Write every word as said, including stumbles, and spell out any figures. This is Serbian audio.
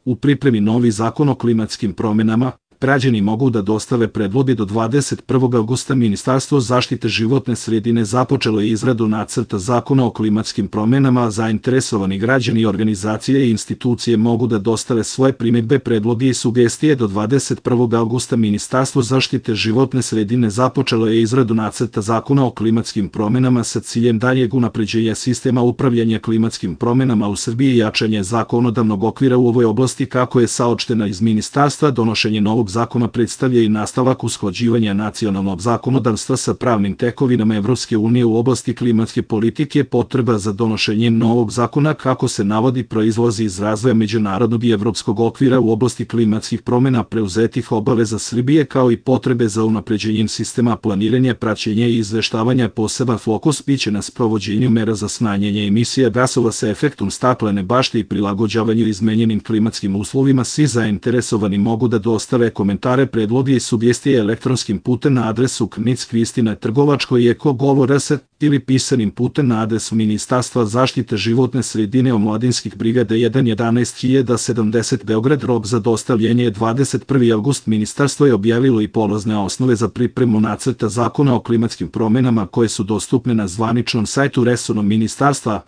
U pripremi novi zakon o klimatskim promjenama, građani mogu da dostave predloge do dvadeset prvog avgusta. Ministarstvo zaštite životne sredine započelo je izradu nacrta zakona o klimatskim promjenama, a zainteresovani građani i organizacije i institucije mogu da dostave svoje primjedbe, predloge i sugestije do dvadeset prvog avgusta. Ministarstvo zaštite životne sredine započelo je izradu nacrta zakona o klimatskim promjenama sa ciljem daljeg unapređenja sistema upravljanja klimatskim promjenama u Srbiji i jačanje zakonodavnog okvira u ovoj oblasti. Kako je saopšteno iz ministarstva, donošenje novog zakona predstavlja i nastavak usklađivanja nacionalnog zakonodavstva sa pravnim tekovinama Evropske unije u oblasti klimatske politike. Potreba za donošenjem novog zakona, kako se navodi, proizlazi iz razvoja međunarodnog i evropskog okvira u oblasti klimatskih promjena, preuzetih obaveza Srbije, kao i potrebe za unapređenjem sistema planiranja, praćenja i izveštavanja. Poseban fokus biće na sprovođenju mera za smanjenje emisija gasova sa efektom staklene bašte i prilagođavanju izmenjenim klimatskim uslovima. Svi zainteresovani mogu da dostave komentare, predloge i sugestije elektronskim putem na adresu knic kvistina trgovačko eko govor s ili pisanim putem na adresu Ministarstva zaštite životne sredine Omladinskih brigada jedan jedanaest hiljada sedamdeset Beograd. Rok za dostavljanje je dvadeset prvi avgust. Ministarstvo je objavilo i polazne osnove za pripremu nacrta zakona o klimatskim promjenama, koje su dostupne na zvaničnom sajtu resornog ministarstva.